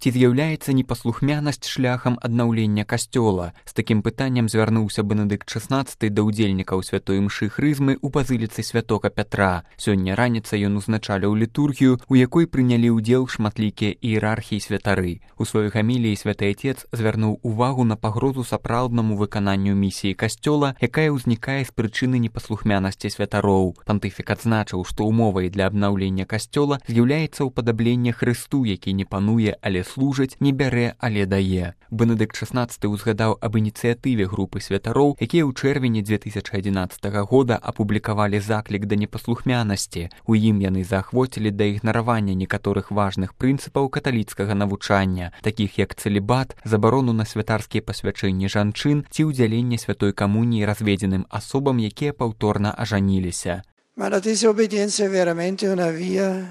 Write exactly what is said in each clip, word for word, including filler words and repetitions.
Ці з'яўляецца непаслухмянасць шляхам аднаўлення касцёла? З такім пытаннем звярнуўся Бенедыкт шаснаццаты да ўдзельнікаў святой імшы хрызмы ў базыліцы святога Пятра. Сёння раніцай ён узначаліў літургію, у якой прынялі ўдзел шматлікія іерархі і святары. У сваёй гаміліі святы Отец звярнуў увагу на пагрозу сапраўднаму выкананню місіі касцёла, якая ўзнікае з прычыны непаслухмянасці святароў. Пантыфік адзначыў, што умовай для абнаўлення касцёла з'яўляецца ўпадабленне Хрысту, які не пануе, але служыць, не бярэ, але дае. Бенедыкт шаснаццаты ўзгадаў аб ініцыятыве групы святароў, якія ў чэрвені дзве тысячы адзінаццатага года апублікавалі заклік да непаслухмянасці. У ім яны заахвоцілі да ігнаравання некаторых важных прынцыпаў каталіцкага навучання, такіх як цэлібат, забарону на святарскія пасвячэнні жанчын ці ўдзяленне святой камуніі разведзеным асобам, якія паўторна ажаніліся. Ma la disobbedienza è veramente una via?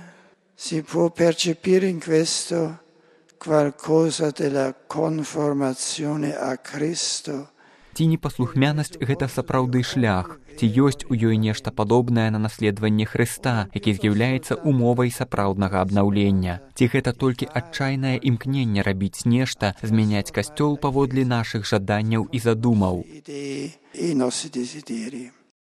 Si può percepire in questo qualcosa della conformazione a Cristo? Ці непаслухмянасць гэта сапраўды шлях? Ці ёсць у ёй нешта падобнае на наследаванне Хрыста, які з'яўляецца умовай сапраўднага абнаўлення? Ці гэта толькі адчайнае імкненне рабіць нешта, змяняць касцёл паводле нашых жаданняў і задумаў?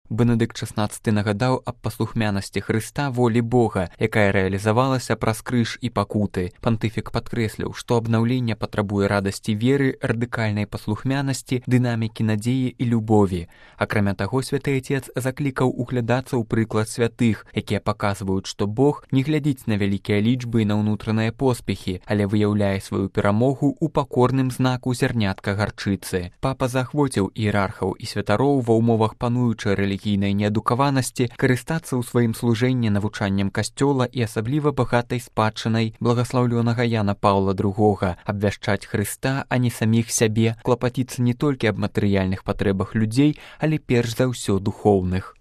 Бенедыкт шаснаццаты нагадаў аб паслухмянасці Хрыста волі Бога, якая рэалізавалася праз крыж і пакуты. Пантыфік падкрэсліў, што абнаўленне патрабуе радасці веры, радыкальнай паслухмянасці, дынамікі надзеі і любові. Акрамя таго, святы Отец заклікаў углядацца ў прыклад святых, якія паказваюць, што Бог не глядзіць на вялікія лічбы і на ўнутраныя поспехі, але выяўляе сваю перамогу ў пакорным знаку зярнятка гарчыцы. Папа заахвоціў іерархаў і святароў ва ўмовах пануючай рэлігіі рэлігійнай неадукаванасці карыстацца ў сваім служэнні навучаннем касцёла і асабліва багатай спадчынай благаслаўлёнага Яна Паўла другога, абвяшчаць Хрыста, а не саміх сябе, клапаціцца не толькі аб матэрыяльных патрэбах людзей, але перш за ўсё духоўных.